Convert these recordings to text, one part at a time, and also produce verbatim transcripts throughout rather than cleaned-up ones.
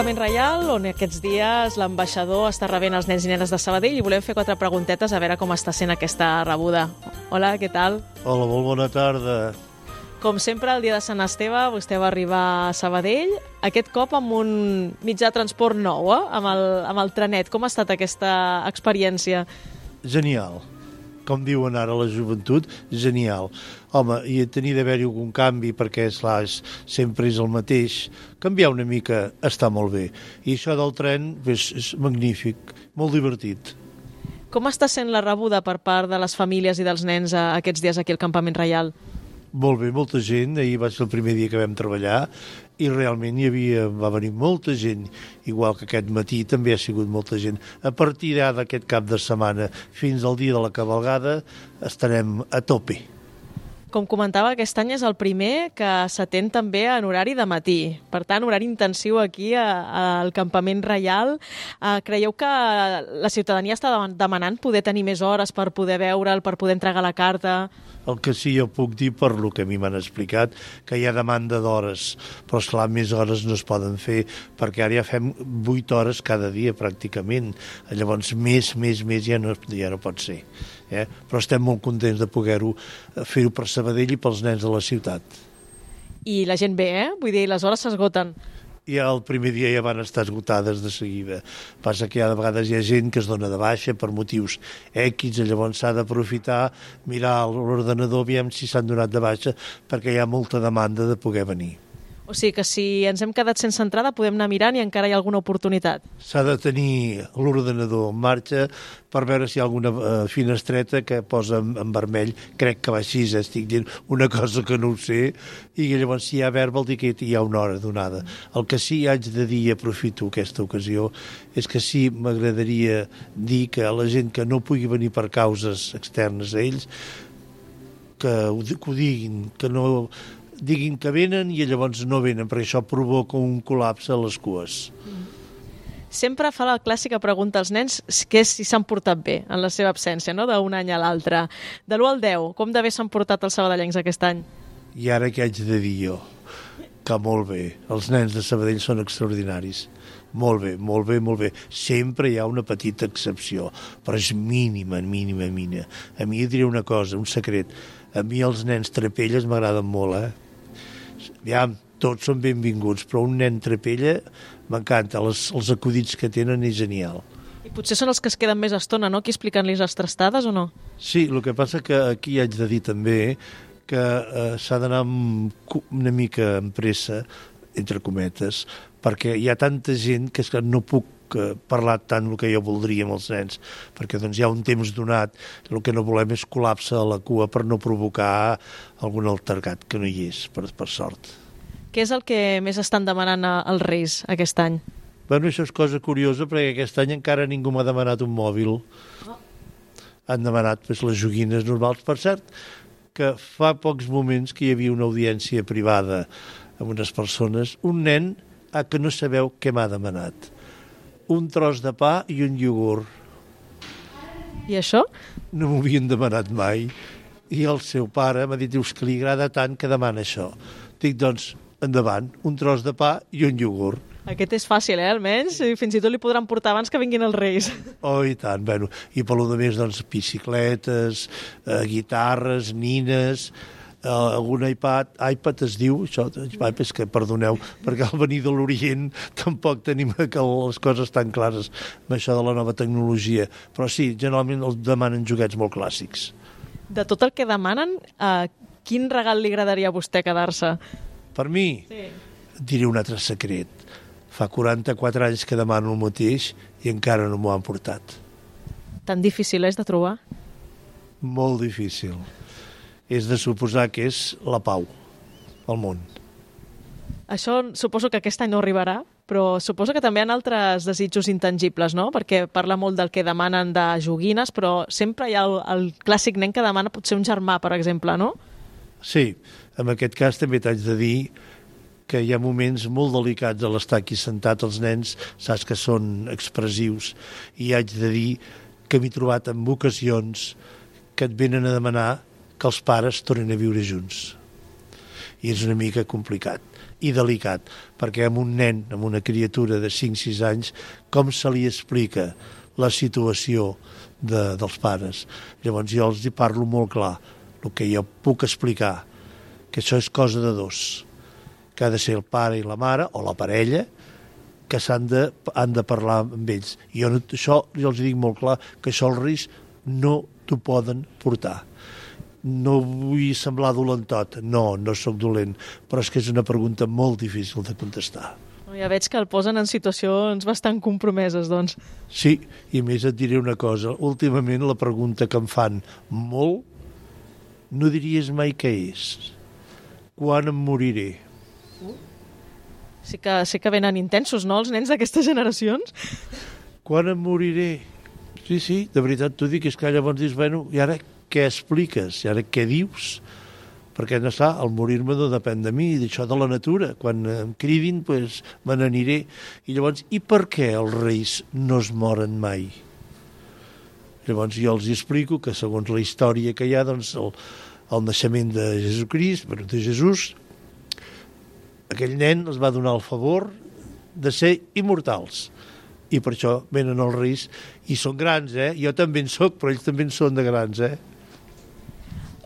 Campament Reial, on aquests dies l'ambaixador està rebent els nens i nenes de Sabadell i volem fer quatre preguntetes a veure com està sent aquesta rebuda. Hola, què tal? Hola, molt bona tarda. Com sempre, el dia de Sant Esteve, vostè va arribar a Sabadell, aquest cop amb un mitjà de transport nou, eh? amb, el, amb el trenet. Com ha estat aquesta experiència? Genial. Com diuen ara la joventut, genial. Home, i tenir d'haver-hi algun canvi, perquè esclar, sempre és el mateix, canviar una mica està molt bé. I això del tren és, és magnífic, molt divertit. Com està sent la rebuda per part de les famílies i dels nens a aquests dies aquí al Campament Reial? Molt bé, molta gent. Ahir va ser el primer dia que vam treballar i realment hi havia, va venir molta gent, igual que aquest matí també ha sigut molta gent. A partir d'aquest cap de setmana fins al dia de la cavalgada estarem a tope. Com comentava, aquest any és el primer que s'atén també en horari de matí. Per tant, horari intensiu aquí a, a, al Campament Reial. Uh, creieu que la ciutadania està demanant poder tenir més hores per poder veure'l, per poder entregar la carta? El que sí jo puc dir, per lo que a mi m'han explicat, que hi ha demanda d'hores, però esclar, més hores no es poden fer, perquè ara ja fem vuit hores cada dia, pràcticament. Llavors, més, més, més ja no, ja no pot ser. Eh? Però estem molt contents de poder-ho fer-ho per Sabadell i pels nens de la ciutat. I la gent ve, eh? Vull dir, les hores s'esgoten. Ja el primer dia ja van estar esgotades de seguida. Passa que ja de vegades hi ha gent que es dona de baixa per motius X, i llavors s'ha d'aprofitar, mirar l'ordenador, aviam si s'han donat de baixa, perquè hi ha molta demanda de poder venir. O sigui que si ens hem quedat sense entrada podem anar mirant i encara hi ha alguna oportunitat. S'ha de tenir l'ordenador en marxa per veure si hi ha alguna uh, finestreta que posa en, en vermell. Crec que va així, eh? Estic dient una cosa que no ho sé, i llavors si hi ha verd vol dir que hi ha una hora donada. El que sí haig de dir, i aprofito aquesta ocasió, és que sí m'agradaria dir que a la gent que no pugui venir per causes externes a ells, que ho, que ho diguin, que no... diguin que venen i llavors no venen, perquè això provoca un col·lapse a les cues. Sempre fa la clàssica pregunta als nens que és si s'han portat bé en la seva absència, no? D'un any a l'altre. De l'u al deu, com de bé s'han portat els sabadellencs aquest any? I ara què haig de dir jo? Que molt bé. Els nens de Sabadell són extraordinaris. Molt bé, molt bé, molt bé. Sempre hi ha una petita excepció, però és mínima, mínima, mínima. A mi diré una cosa, un secret. A mi els nens trapelles m'agraden molt, eh? Aviam, tots són benvinguts, però un nen trapella m'encanta, els, els acudits que tenen és genial. I potser són els que es queden més estona, no?, aquí explicant-los les trastades, o no? Sí, el que passa que aquí haig de dir també que eh, s'ha d'anar una mica amb pressa, entre cometes, perquè hi ha tanta gent que no puc parlar tant el que jo voldria amb els nens, perquè doncs hi ha un temps donat, el que no volem és col·lapse a la cua per no provocar algun altercat, que no hi és, per, per sort. Què és el que més estan demanant als Reis aquest any? Bueno, això és cosa curiosa, perquè aquest any encara ningú m'ha demanat un mòbil. Oh. Han demanat pues, les joguines normals. Per cert, que fa pocs moments que hi havia una audiència privada amb unes persones, un nen a que no sabeu què m'ha demanat. Un tros de pa i un iogurt. I això? No m'ho havien demanat mai. I el seu pare m'ha dit, dius, que li agrada tant que demana això. Dic, doncs, endavant, un tros de pa i un iogurt. Aquest és fàcil, eh, almenys? Fins i tot li podran portar abans que vinguin els Reis. Oh, i tant. Bueno, i per lo de més, doncs, bicicletes, eh, guitarres, nines... Uh, algun iPad, iPad es diu, això, iPad, és que perdoneu, perquè al venir de l'Orient tampoc tenim que les coses tan clares amb això de la nova tecnologia, però sí, generalment els demanen joguets molt clàssics. De tot el que demanen, uh, quin regal li agradaria a vostè quedar-se? Per mi? Sí. Diré un altre secret. Fa quaranta-quatre anys que demano el mateix i encara no m'ho han portat. Tan difícil és de trobar? Molt difícil. És de suposar que és la pau al món. Això suposo que aquest any no arribarà, però suposo que també hi ha altres desitjos intangibles, no? Perquè parla molt del que demanen de joguines, però sempre hi ha el, el clàssic nen que demana potser un germà, per exemple, no? Sí, en aquest cas també t'haig de dir que hi ha moments molt delicats a l'estar aquí sentat, els nens, saps que són expressius, i haig de dir que m'he trobat en ocasions que et venen a demanar que els pares tornin a viure junts. I és una mica complicat. i delicat, perquè amb un nen, amb una criatura de cinc sis anys, com se li explica la situació de, dels pares? Llavors jo els hi parlo molt clar, el que jo puc explicar, que això és cosa de dos, que ha de ser el pare i la mare, o la parella, que s'han de, han de parlar amb ells. I jo no, això jo els dic molt clar, que això els Reis no t'ho poden portar. No vull semblar dolentot, no, no sóc dolent, però és que és una pregunta molt difícil de contestar. Ja veig que el posen en situacions bastant compromeses, doncs. Sí, i més et diré una cosa. Últimament la pregunta que em fan molt, no diries mai què és. Quan em moriré? Sí que, sí que venen intensos, no?, els nens d'aquestes generacions. Quan em moriré? Sí, sí, de veritat t'ho dic, és que llavors dius, bueno, i ara què expliques? I ara què dius? Perquè no està, el morir-me no depèn de mi, d'això de la natura. Quan em cridin, doncs me n'aniré. I llavors, i per què els reis no es moren mai? Llavors jo els explico que segons la història que hi ha, doncs el, el naixement de Jesucrist, bueno, de Jesús, aquell nen els va donar el favor de ser immortals. I per això venen els reis, i són grans, eh? Jo també en soc, però ells també en són de grans, eh?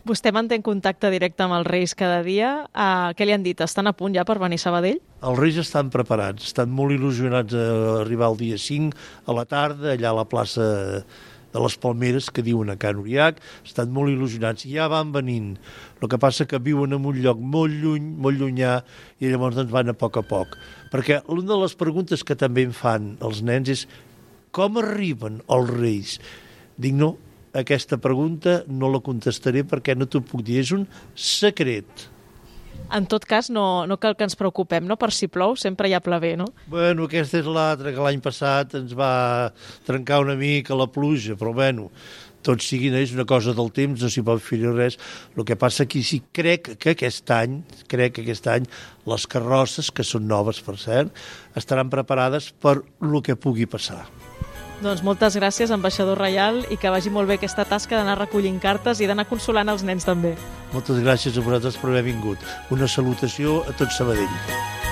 Vostè manté en contacte directe amb els reis cada dia. Uh, què li han dit? Estan a punt ja per venir a Sabadell? Els reis estan preparats, estan molt il·lusionats a arribar el dia cinc a la tarda, allà a la plaça de les Palmeres, que diuen a Can Uriac, estan molt il·lusionats, ja van venint. El que passa que viuen en un lloc molt lluny, molt llunyà, i llavors doncs van a poc a poc. Perquè una de les preguntes que també em fan els nens és com arriben els reis? Dic, no, aquesta pregunta no la contestaré perquè no t'ho puc dir, és un secret. En tot cas, no, no cal que ens preocupem, no? Per si plou, sempre hi ha plever, no? Bueno, aquesta és l'altra, que l'any passat ens va trencar una mica la pluja, però bueno, tot sigui, no és una cosa del temps, no s'hi pot fer res. El que passa que sí, crec que aquest any, crec que aquest any, les carrosses, que són noves, per cert, estaran preparades per lo que pugui passar. Doncs moltes gràcies, ambaixador reial, i que vagi molt bé aquesta tasca d'anar recollint cartes i d'anar consolant els nens també. Moltes gràcies a vosaltres per haver vingut. Una salutació a tot Sabadell.